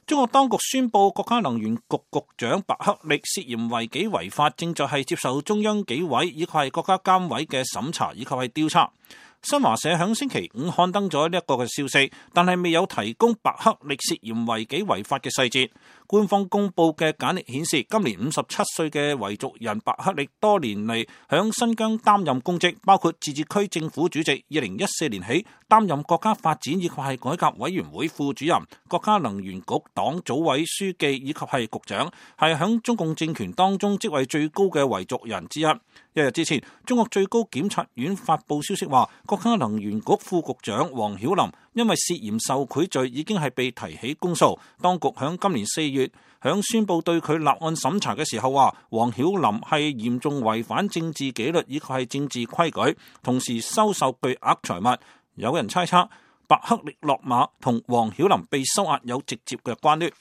中國當局宣布，國家能源局局長白克力涉嫌違紀違法，正在係接受中央紀委以及係國家監委嘅審查以及係調查。新華社響星期五刊登咗呢一個嘅消息，但係未有提供白克力涉嫌違紀違法嘅細節。官方公布嘅簡歷顯示，今年57歲嘅維族人白克力多年嚟響新疆擔任公職，包括自治區政府主席，2014年起擔任國家發展以及係改革委員會副主任、國家能源局黨組委書記以及係局長，係響中共政權當中職位最高嘅維族人之一。一日之前，中國最高檢察院發布消息話，國家能源局副局長王曉林因為涉嫌受賄罪已經係被提起公訴。當局響今年4月響宣布對佢立案審查嘅時候話，王曉林係嚴重違反政治紀律以及係政治規矩，同時收受巨額財物。有人猜測白克力落馬同王曉林被收押有直接嘅關聯。